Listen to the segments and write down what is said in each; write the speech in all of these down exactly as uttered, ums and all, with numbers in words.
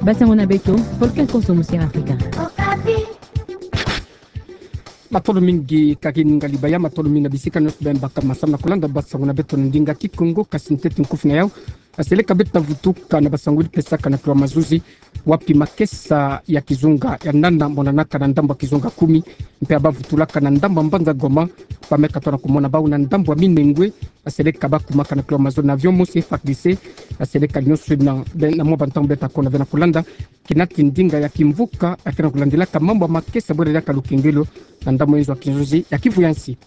Basango na beto, Volcan Konso, Music Africa. Matondo mingi, karibu ngali baya, matondo mingi na bisika nyonso bembaka masamu na kolanda basango na beto na ndinga Kikongo, kasi ntete nkufi na yau. Aseleka beto vutuka na basango yili pesaka na kilo mazono, wapi makesa ya kizunga ya nana monanaka na ndambu ya kizunga kumi, mpe abavutulaka na ndambu ya mbanza Goma, bameka tona kumona bau na ndambu ya Minembwe, aseleka bakumaka na kilo mazono na avion mosi F A R D C, aseleka nyonso na, na mwa bantangu beta kona ve na kolanda, kina ti ndinga ya kimvuka, ya kena kulandilaka mambu ya makesa bwela diaka lukengelo, na ndambu ya inzo ya kinzonzi ya Kivu ya nsi.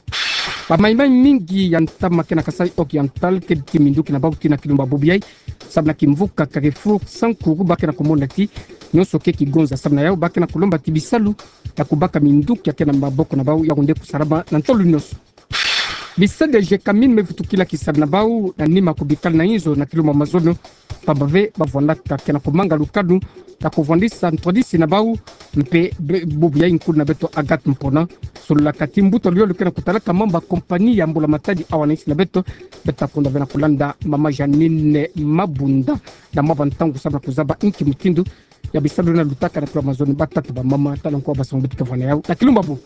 Bamaimai mingi ya ntama kena Kasaï Oriental, kedi ti minduki na bau tii na kilumbu ya bobo yai, samu na kimvuka Carrefour Sankuru, bakena kumona ti nyonso ke kigonza, samu na yau bakena kulomba ti bisalu ya kubaka minduki ya kena maboko na bau ya kunde kusalama na ntolo nyonso. Bisalu ya Gécamines mevutukila kisalu na bau na nima kubikala na inzo na kilumbu ya mazono, pamba ve bavwandaka kena kumanga lukanu ya kuvwandisa ntwadisi na bau, mpe be-, bubu ya nkulu na beto Agathe Mpona, sololaka ti mbuta luyolo kena kutalaka mambu ya kompani ya mbula matadi awa na insi na beto, beta kona ve na kolanda mama Jeanine Mabunda, na mwa bantangu samu na kuzaba inki mutindu ya bisalu na lutaka na kilo mazono batata bamama, tala nko basango beto ke vwanda yau na kilumbu ya bobo.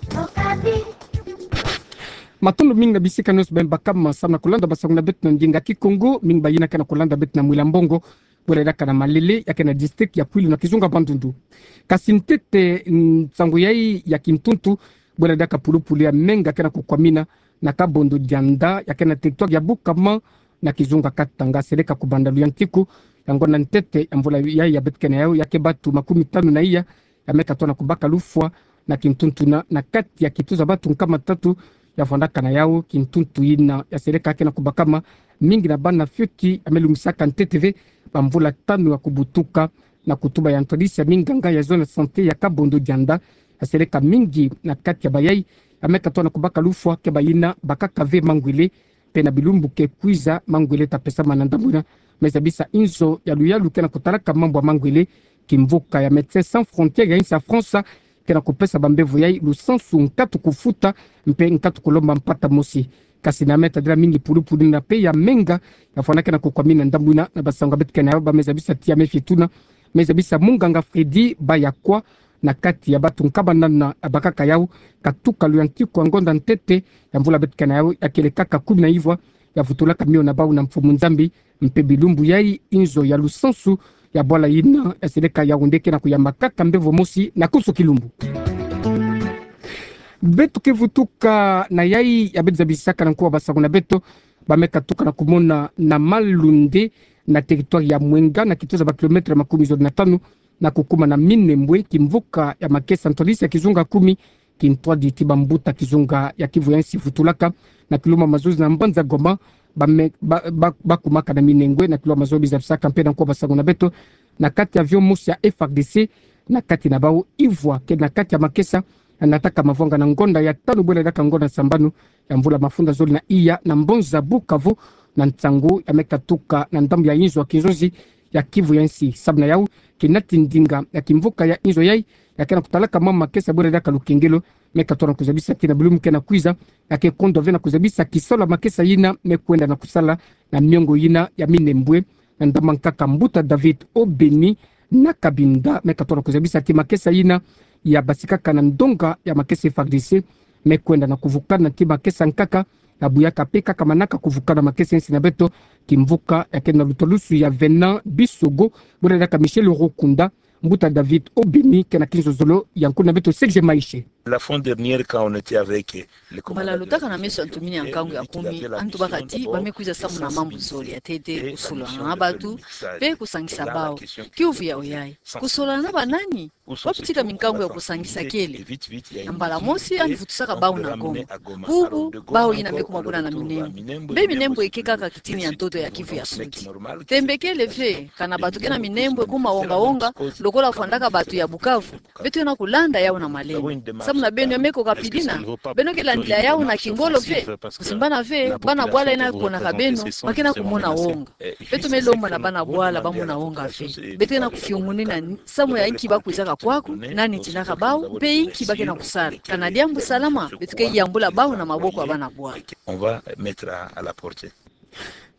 Matondo mingi na bisika nyonso bembaka masamu na kolanda basango na beto na ndinga Kikongo, mingi bayina kena kolanda beto na Mwila Mbongo, bwela diaka na Malele, ya kena district ya Kwilu na kizunga Bandundu. Kasi ntete, mm, nsangu yai ya kintuntu, bwela diaka pulupulu ya menga kena kukwamina na Kabondo Dianda, ya kena territoire ya Bukama, na kizunga Katanga, seleka kubanda luyantiku ya ngonda ntete ya mvula yai ya beto kena yau, ya ke batu makumi tanu na iya ya meka tona kubaka lufwa na kintuntu na, na kati ya kituza batu nkama tatu ya vwandaka na yau. Kintuntu yina ya seleka kena kubakama, mingi na bana fioti ya melumisaka ntete ve bamvula tanu ya kubutuka, na kutuba ya ntwadisi ya minganga ya zone ya santé ya Kabondo Dianda, ya seleka mingi na kati ya bayai ya meka tona kubaka lufwa ke bayina bakaka ve mangwele, mpe na bilumbu ke kwiza mangwele ta pesama na ndambu yina. Me zabisa inzo ya luyalu kena kutalaka mambu ya mangwele, kimvuka ya Médecins Sans Frontières ya insi ya France, kena kupesa bambevo yai lusansu nkatu kufuta, mpe nkatu kulomba mpata mosi. Kasi na me tadila mingi pulupulu na pe ya menga ya fwana kena kukwamina na ndambu yina, na basango beto kena yau ba me zabisa ti ya me fietuna, me zabisa munganga Freddy Bayakwa, na kati ya batu nkama nana ya bakaka yau, katuka luyantiku ya ngonda ntete ya mvula beto kena yau ya kelekaka kumi na ivwa, ya vutulaka mio na bau na mfumu Nzambi, mpe bilumbu yai inzo ya lusansu ya bwala yina ya seleka Yaoundé kena kuyamba kaka mbevo mosi na konso kilumbu. Beto ke vutuka na yai ya beto zabisaka na nkuwa basango na beto, ba me katuka na kumona na Malundé, na territoire ya Mwenga, na kituza ba kilomètre makumi zole na tanu, na kukuma na Minembwe, kimvuka ya makesa ntwadisi ya kizunga kumi, kintwadi ti bambuta kizunga ya Kivu ya nsi vutulaka na kilumbu ya mazono na mbanza Goma, ba me-, ba-, ba-, bakumaka na Minembwe na kilumbu ya mazono. Biza bisaka mpe na nkuwa basango na beto, na kati ya avion mosi ya F R D C, na kati na bau ivwa ke na kati ya makesa, nataka mavwanga na ngonda ya tanu bwela diaka ngonda sambanu ya mvula mafunda zole na iya na mbanza Bukavu, na nsangu ya me katuka na ndambu ya inzo ya kinzonzi ya Kivu ya nsi. Samu na yau, kina ti ndinga ya kimvuka ya inzo yai ya kena kutalaka mama makesa bwela diaka lukengelo, me katona kuzabisa ti na bilumbu kena kwiza, ya ke kondwa ve na kuzabisa kisalu ya makesa yina me kwenda na kusala na miongo yina ya Minembwe, na ndambu ya nkaka mbuta David Obeni na Kabinda, me katona kuzabisa ti makesa yina ya basikaka na ndonga ya makesa F R D C, me kwenda na kuvukana ti makesa nkaka, na buyaka pe kaka manaka kuvukana makesa ya nsi na beto, kimvuka ya kena lutwalusu ya Venant Bisogo, bwela diaka Michel Rukunda, mbuta David Obeni kena kinzozolo ya nkulu na beto Serge Maishe. La fois dernière, quand on était avec les commandants de la sécurité, ils nous disaient la question d'abord, c'est de savoir comment on va s'organiser et on a mis sur pied le mixage. Et là, la question qui se pose, c'est sans compter, où sont ces tours, où sont ces unités, et vite, vite, il y a une équipe qui est en train de travailler. Mbala mosi, yandi vutusaka bau na Goma. Bubu, bau yina me kuma kuna na Minembwe. Mbe Minembwe ike kaka kitini ya ntoto ya Kivu ya Sudi. Tembe kele ve, kana bato ke na Minembwe kuma wonga-wonga, lokola fwandaka bato ya Bukavu. Beto ke na kulanda yau na malembe. Samu na beno ya me koka pidina, beno ke landila yau na kingolo ve. Kusimbana ve, bana-bwala yina konaka beno, ba ke na kumona wonga. Beto me lomba na bana-bwala ba mona wonga ve. Beto ke na kufiungunina samu ya inki ba kwizaka kwaku, nani tindaka bau, mpe inki ba ke na kusala. Kana diambu salama, beto ke yambula bau na maboko ya bana-bwala. On va mettre à, à la portée.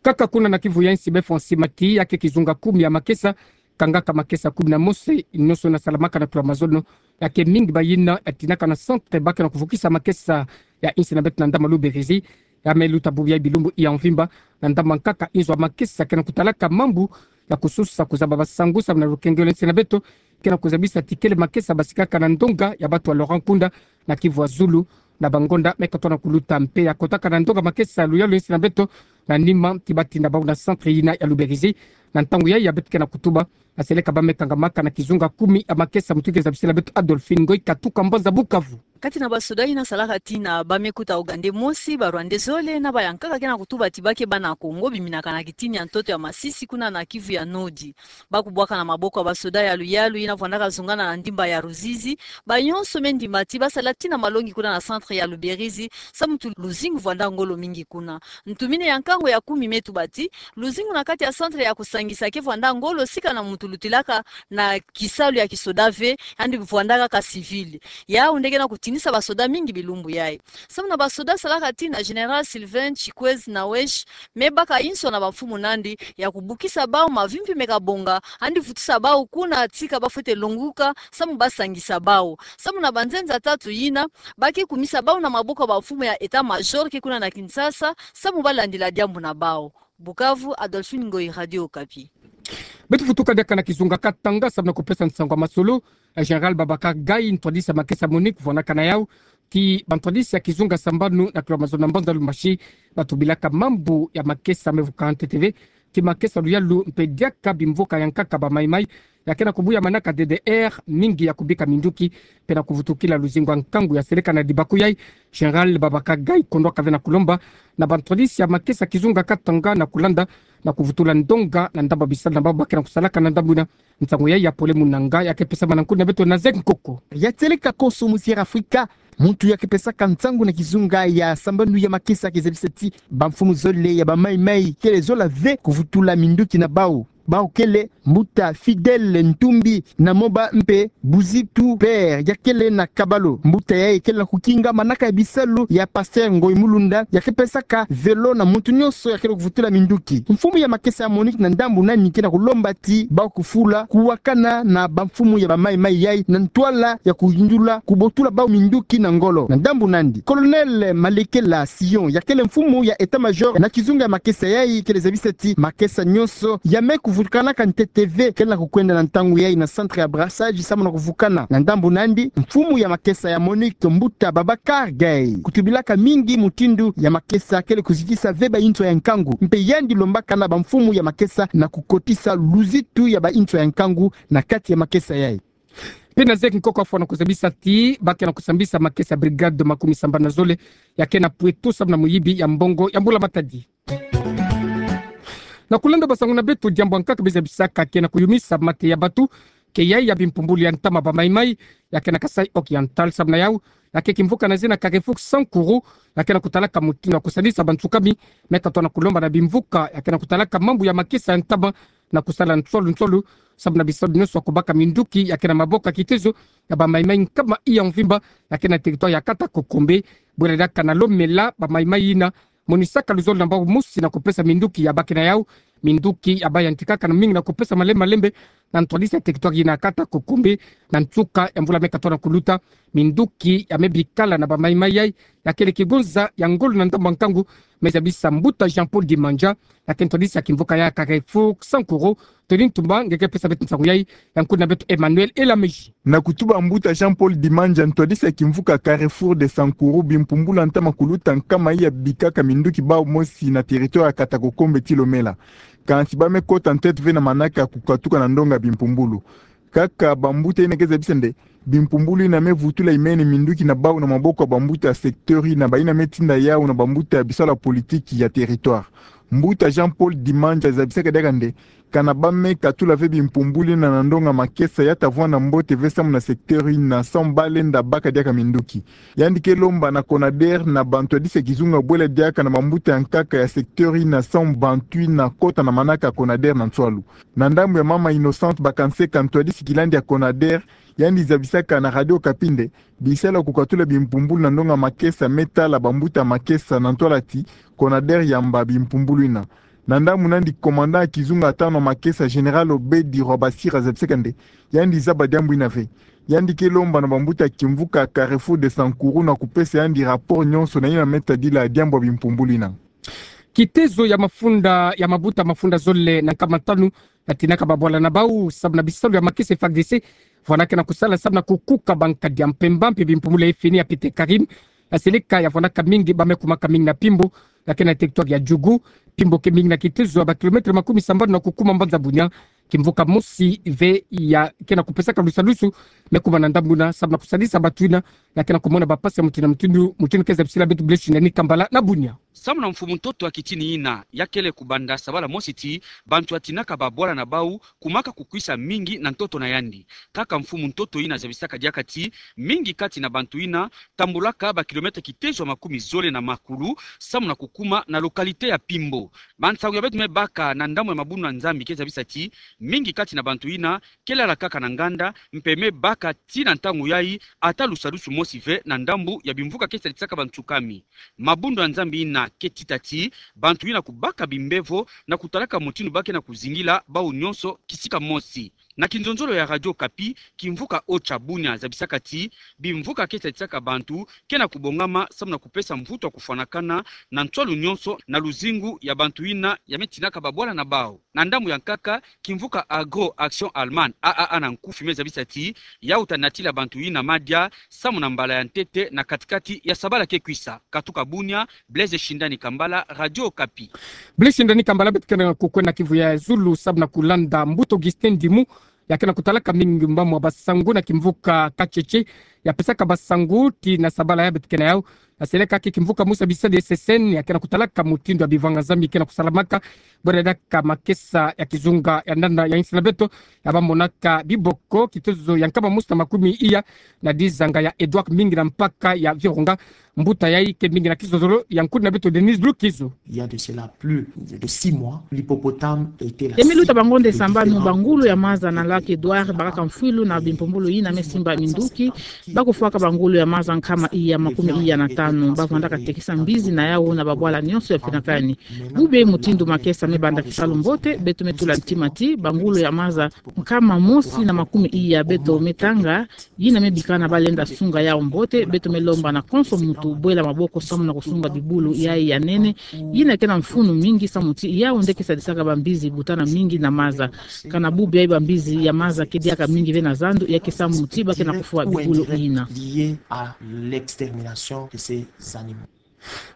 Kaka kuna na Kivu ya nsi, be Francis Mati, ya ke kizunga kumi ya makesa, kangaka makesa kumi na mosi, nyonso na salamaka na chlordécone. Ya ke mingi ba yina ya tinaka na centre ba ke na kuvukisa makesa ya insi na beto na ndam'a Luberizi. Ya me luta bubu ya bilumbu ya mvimba, na ndam'a nkaka inzo ya makesa ke na kutalaka mambu ya kususa kuzaba basangu samu na lukengelo insi na beto, ke na kuzabisa ti kele makesa basikaka na ndonga ya batu ya Laurent Nkunda na Kivu ya Zulu, na bangonda me katoa na kuluta mpe ya kotaka na ndonga makesa luyalu insi na beto, na nima ti batinda bau na centre yina ya Luberizi. Na ntangu yayi ya beto ke na kutuba, na seleka ba me kangamaka na kizunga kumi ya makesa, mutu ke zabisila beto Adolphine Ngoyi Katuka, mbanza Bukavu. Kati na basoda yina salaka tina, ba me kuta Ougandais mosi, ba Rwandais zole, na ba ya nkaka ke na kutuba ti ba ke bana Kongo, biminaka na kitini ya ntoto ya Masisi, kuna na Kivu ya Nord. Ba kubwaka na maboko ya basoda ya luyalu yina vwandaka zungana na ndimba ya Ruzizi. Ba nyonso me ndimba ti ba sala tina malongi kuna na centre ya Luberizi, samu mutu luzingu vwanda ngolo mingi kuna. Ntumini ya nkangu ya kumi me tuba ti luzingu na kati ya centre ya kusangisa ke vwanda ngolo, sika na mutu lutilaka na kisalu ya kisoda ve, yandi vwandaka kaka civil. Yau nde ke na kutinisa basoda mingi bilumbu yayi. Samu na basoda salaka tina, Général Sylvain Chikwezi Nawesh me baka inso na bamfumu na yandi ya kubukisa bau mavimpi me kabonga, yandi vutisa bau kuna tika ba fwete longuka, samu ba sangisa bau. Samu na banzenza tatu yina, ba ke kumisa bau na maboko ya bamfumu ya état-major ke kuna na Kinshasa, samu ba landila diambu na bau. Bukavu, Adolphine Ngoyi, Radio Okapi. Beto vutuka diaka na kizunga Katanga, samu na kupesa nsangu ya masolo. Eh, Général Babacar Gaye, ntwadisi ya makesa MONUC, vwanaka na yau ti bantwadisi ya kizunga sambanu na kilo mazono na mbanza Lubumbashi, ba tubilaka mambu ya makesa me vuka ntete ve ti makesa luyalu mpe diaka bimvuka ya nkaka ba Maï-Maï ya ke na kubuya manaka D D R mingi ya kubika minduki, mpe na kuvutukila luzingu ya nkangu ya seleka na dibaku yayi. Général Babacar Gaye kondwaka ve na kulomba na bantwadisi ya makesa kizunga Katanga na kulanda na kuvutula ndonga na ndambu ya bisalu na bau ba ke na kusalaka na ndambu yina. Nsangu yayi ya Pole Munanga ya ke pesama na nkundi na beto na Zek Nkoko. Ya seleka konso mu Sierra Afrika, muntu ya ke pesaka nsangu na kizunga ya sambanu ya makesa ke zabisa ti bamfumu zole ya ba Maï-Maï kele zola ve kuvutula minduki na bau. Bau kele mbuta Fidèle Ntumbi na moba mpe Buzitu Père, ya kele na Kabalo. Mbuta yayi kele na kukinga manaka ya bisalu ya Pasteur Ngoy Mulunda, ya ke pesaka velo na muntu nyonso ya kele kuvutula minduki. Mfumu ya makesa ya MONUC na ndambu nani ke na kulomba ti bau kufula kuwakana na bamfumu ya ba Maï-Maï yayi na ntwala ya kuyindula kubotula bau minduki na ngolo. Na ndambu nandi, Colonel Malekela Sion, ya kele mfumu ya état-major na kizunga ya makesa yayi, kele zabisa ti makesa nyonso ya me kuvukanaka ntete ve kele na kukwenda na ntangu yayi na centre ya brassage samu na kuvukana. Na ndambu nandi, mfumu ya makesa ya MONUC, mbuta Babacar Gaye, kutubilaka mingi mutindu ya makesa kele kuzitisa ve ba inswa ya nkangu, mpe yandi lombaka na bamfumu ya makesa na kukotisa luzitu ya ba inswa ya nkangu na kati ya makesa yayi. Mpe na Zek Nkoko afwa na kuzabisa ti ba ke na kusambisa makesa ya brigade makumi sambanu na zole ya ke na Poitou samu na muyibi ya mbongo ya mbula matadi. Na kulanda basangu na beto, diambu ya nkaka be zabisaka ke na kuyumisa mate ya batu ke yayi ya bimpumbulu ya ntama ba Maï-Maï ya ke na Kasaï Oriental. Samu na yau, ya ke kimvuka na zina Carrefour Sankuru, ya ke na kutalaka mutindu ya kusadisa bantsukami, me katoa na kulomba na bimvuka ya ke na kutalaka mambu ya makesa ya ntama na kusala nsolu nsolu samu na bisalu nyonso ya kubaka minduki ya ke na maboko ya kitezo ya ba Maï-Maï nkama iya mvimba ya ke na territoire ya kata Kokombe. Bwela diaka na Lomela, ba Maï-Maï yina monisaka luzolo na bau mosi na kupesa minduki ya ba ke na yau. Minduki ya ba yantikaka na mingi na kupesa malembe malembe na ntwadisi ya territoire yina kata Kokombe. Na nsuka ya mvula me katoa na kuluta, minduki ya me bikala na ba Maï-Maï yayi ya kele kigonza ya ngolo na ndambu ya nkangu, me zabisa mbuta Jean-Paul Dimanja, ya ke ntwadisi ya kimvuka ya Carrefour Sankuru. Tony Ntumba nge ke pesa beto nsangu yayi, ya nkundi na beto Emmanuel Elamezi. Na kutuba mbuta Jean-Paul Dimanja, ntwadisi ya kimvuka Carrefour de Sankuru, bimpumbulu ya ntama kuluta nkama iya bikaka minduki bau mosi na territoire ya kata Kokombe ti Lomela. Kansi ba me kota ntete ve na manaka ya kukatuka na ndonga bimpumbulu. Kaka bambuta yina ke zabisa nde bimpumbulu yina me vutula imene minduki na bau na maboko ya bambuta ya secteur yina, bayina me tinda yau na bambuta ya bisalu ya politiki ya territoire. Mbuta Jean-Paul Dimanja zabisaka diaka nde kana ba me katula ve bimpumbulu yina na ndonga makesa, ya ta vwanda mbote ve samu na secteur yina samu ba lenda baka diaka minduki. Yandi ke lomba na Conader na bantwadisi ya kizunga bwela diaka na bambuta ya nkaka ya secteur yina samu bantu yina kota na manaka ya Conader na nswalu. Na ndambu ya mama Innocente Bakanseka, ntwadisi kilandi ya Conader, yandi zabisaka na Radio Okapi nde bisalu ya kukatula bimpumbulu na ndonga makesa me tala bambuta makesa na ntwala ti Conader yamba bimpumbulu yina. Na ndambu nandi, commandant ya kizunga tano makesa, général Obedi Rwabasira, zabisaka nde yandi zaba diambu ina ve. Yandi ke lomba na bambuta ya kimvuka Carrefour de Sankuru na kupesa yandi rapport nyonso na ina me tadila diambu ya bimpumbulu ina. Kitezo ya mafunda ya mabuta mafunda zole na nkama tanu yatinaka babwala na bau samu na bisalu ya makesa F A R D C, vwana ke na kusala samu na kukuka bankadi ya mpemba mpe bimpumbulu ya fini ya pete Karim, ya seleka ya vwanaka mingi ba me kumaka mingi na Pimbo, ya ke na territoire ya Djugu. Pimbo ke mingi na kitezo ya ba kilomètre makumi sambanu na kukuma mbanza Bunia. Kimvuka mosi ve ya ke na kupesaka lusalusu me kuma na ndambu ina samu na kusalisa bato ina ya ke na kumona bapasi ya mutindu na mutindu, mutindu ke zabisila beto Blaise Shindani Kambala na Bunia. Samu na mfumu ntoto ya kitini ina, ya kele kubanda sabala mosi ti bantu yatinaka babwala na bau kumaka kukwisa mingi na ntoto na yandi. Kaka mfumu ntoto ina zabisaka diaka ti mingi kati na bantu ina tambulaka ba kilomètre kitezo ya makumi zole na makulu samu na kukuma na localité ya Pimbo. Bansangu ya beto me baka na ndambu ya mabundu ya Nzambi ke zabisa ti mingi kati na bantu ina ke lala kaka na nganda, mpe me baka ti na ntangu yai ata lusalusu mosi ve na ndambu ya bimvuka ke sadisaka bantu kami. Mabundu ya Nzambi ina ke tita ti bantu ina kubaka bimbevo na kutalaka mutindu ba ke na kuzingila bau nyonso kisika mosi. Na kinzonzolo ya Radio Okapi, kimvuka Ocha Bunia zabisaka ti bimvuka ke sadisaka bantu ke na kubongama samu na kupesa mvutu ya kufwanakana na ntwalu nyonso na luzingu ya bantu ina ya me tinaka babwala na bau. Na ndambu ya nkaka, kimvuka Agro Action Allemagne, A A A na nkufi, me zabisa ti ya uta natila bantu ina madia samu na mbala ya ntete na katikati ya sabala ke kwisa. Katuka Bunia, Blaise Shindani Kambala, Radio Okapi. Blaise Shindani Kambala, beto ke na kukwenda kivu ya zulu samu na kulanda mbuta Augustin Ndimu, ya ke na kutalaka mingi mbamu ya basangu na kimvuka Katshetshe, ya pesaka basangu ti na sabala ya beto ke na yau. Ya seleka ke kimvuka mosi ya bisalu ya S S N, ya ke na kutalaka mutindu ya bivanga-Nzambi ke na kusalamaka bwela diaka makesa ya kizunga ya ndanda ya insi na beto, ya ba monaka biboko kitezo ya nkama mosi na makumi iya na dizanga ya Edouard Mingi na mpaka ya Virunga. Mbuta yai ke mingi na kizozolo ya nkuni na beto Denise Lukizo. Il y a de cela plus de six mois, l'hippopotame était la cible de différents... Ya me luta bangonde sambanu, bangulu ya maza na lac Edouard bakaka mfwilu na bimpumbulu ina me simba minduki, ba kufwaka bangulu ya maza nkama iya makumi iya na tanu, ba vandaka tekisa mbizi na yau na babwala nyonso ya finakani. Bubu yai mutindu makesa me banda kisalu mbote, beto me tula ntima ti bangulu ya maza nkama mosi na makumi iya beto me tanga, yina me bikana ba lenda sunga yau mbote. Beto me lomba na konso muntu bwela maboko samu na kusunga bibulu yai ya nene, yina ke na mfunu mingi samu ti yau nde ke sadisaka bambizi butana mingi na maza. Kana bubu yai bambizi ya maza ke diaka mingi ve na zandu, ya ke samu ti ba ke na kufwa bibulu yina. Lié à l'extermination de ces animaux.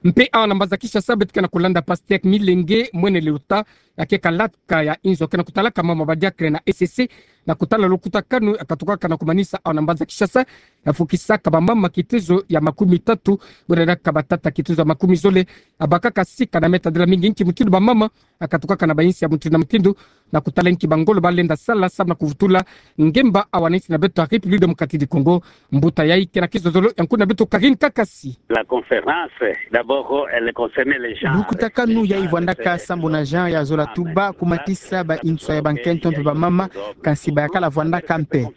Mpe awa na mbanza Kinshasa, beto ke na kulanda Pasteur Milenge Mwene Leuta, ya ke kalaka ya inzo ke na kutalaka mama badiacre na E C C, na kutala lukutakanu ya katukaka na kumanisa awa na mbanza Kinshasa, ya fukisaka bamama kitezo ya makumi tatu, bwela diaka batata kitezo ya makumi zole, ya bakaka sika na me tadila mingi nki mutindu bamama ya katukaka na bainsi ya mutindu na mutindu, na kutala nki bangolo ba lenda sala samu na kuvutula ngemba awa na insi na beto ya République Démocratique du Congo. Mbuta yai ke na kizozolo ya nkuni na beto Karine Kakasi. La conférence, d'abord, elle concernait les gens. Lukutakanu yai vwandaka sambu na Jean ya zola tuba kumatisa bainsi ya bankento mpe bamama, kansi bayakala vwandaka mpe.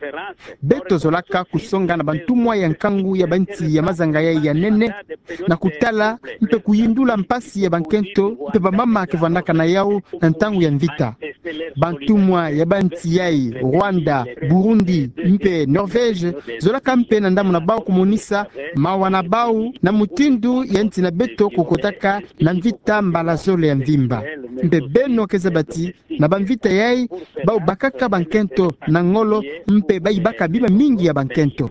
Beto zolaka kusonga na bantumwa ya nkangu ya bansi ya mazanga yai ya nene, na kutala mpe kuyindula mpasi ya bankento mpe bamama ke vwandaka na yau na ntangu ya mvita. Bantumwa ya bansi yai, Rwanda, Burundi, mpe Norvège, zolaka mpe na ndambu na bau kumonisa mawa na bau na mutindu ya nsi na beto kukotaka na mvita mbala zole ya mvimba. Mpe beno ke zaba ti na bamvita yai, bau bakaka bankento na ngolo, mpe bayibaka bima mingi ya bankento.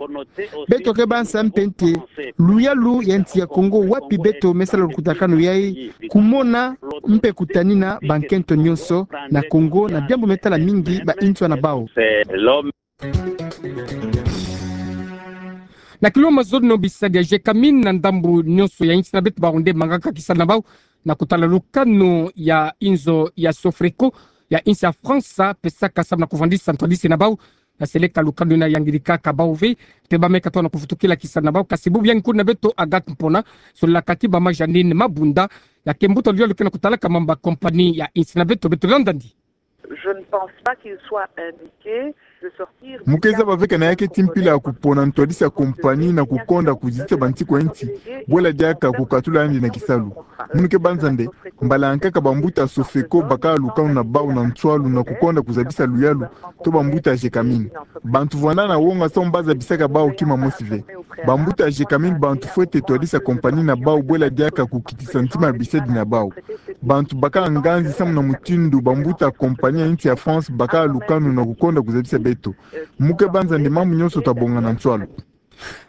Beto ke bansa mpe nte luyalu ya nsi ya Congo, wapi beto me sala lukutakanu yai, kumona mpe kutanina bankento nyonso na Congo na diambu me tala mingi bainsi na bau. Na kilo mazono bisadi ya Gécamines na ndambu nyonso ya insi na beto, bau nde mangaka kisalu na bau na kutala lukanu ya inzo ya Soefrico ya insi ya France, pesaka samu na kuvandisa ntwadisi na bau. Na seleka lukanu yina yangirikaka bau ve, mpe ba me katoa na kuvutukila kisalu na bau. Kasi bubu yai nkuni na beto Agathe Mpona, solaka ti mama Jeanine Mabunda, ya ke mbuta luyalu ke na kutalaka mamba compagnie ya insi na beto. Beto landandi. Je ne pense pas qu'il soit indiqué Mu ke zaba ve kana ya keti mpila ya kupona ntwadisi ya compagnie na kukonda kuzitisa bantikwa insi, bwela diaka kukatula yandi na kisalu. Munu ke banza nde, mbala yankaka bambuta Sofeco bakala lukanu na bawu na nswalu na kukonda kuzabisa luyalu, to bambuta Gécamines. Bantu vwanda na wonga samu bazabisaka bawu kima mosi ve. Bambuta Gécamines bantu fwete twadisa compagnie na bawu bwela diaka kukitisa ntima ya bisedi na bawu. Bantu bakala nganzi samu na mutindu bambuta compagnie ya insi ya France bakala lukanu na kukonda kuzabisa beto. Mu ke banza nde mambu nyonso tabonga na nswalu.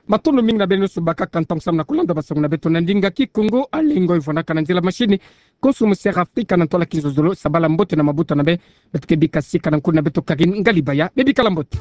Matondo mingi na beno nyonso bakaka ntangu samu na kulanda basangu na beto na ndinga Kikongo. Alengo ivwanaka na nzila machine, Konso Monseigneur Afrika na ntwala Kinzonzolo, sabala mbote na mabota na be. Beto ke bika sika na nkuna beto Karine Ngalibaya. Bebikala mbote.